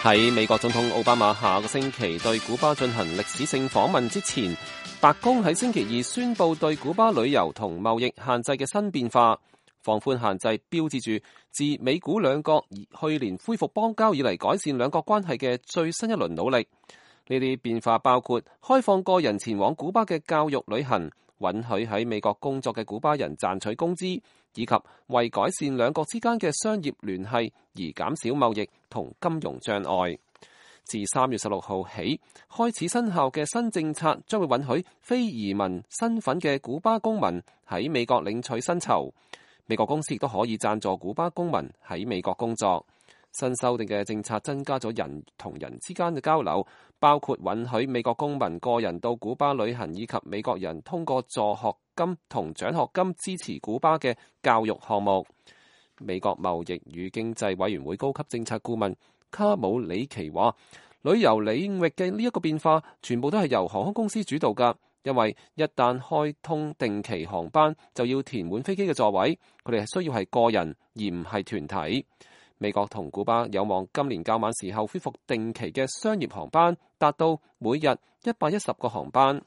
喺美國總統奧巴馬下個星期對古巴進行歷史性訪問之前，白宮喺星期二宣布對古巴旅遊同貿易限制嘅新變化。放寬限制標誌住自美古兩國去年恢復邦交以嚟改善兩國關係嘅最新一輪努力。呢啲變化包括開放個人前往古巴嘅教育旅行，允許喺美國工作嘅古巴人賺取工資，以及為改善兩國之間嘅商業聯繫而減少貿易同金融障礙。自3月16號起開始生效嘅新政策將會允許非移民身份嘅古巴公民喺美國領取薪酬。美國公司亦都可以贊助古巴公民喺美國工作。新修訂嘅政策增加咗人同人之間嘅交流，包括允許美國公民個人到古巴旅行，以及美國人通過助學金同獎學金支持古巴嘅教育項目。美國貿易與經濟委員會高級政策顧問卡姆里奇話，旅遊領域嘅呢一個變化全部都係由航空公司主導㗎，因為一旦開通定期航班就要填滿飛機嘅座位，佢哋係需要係個人而唔係團體。美國同古巴有望今年較晚時候恢復定期嘅商業航班，達到每日110個航班。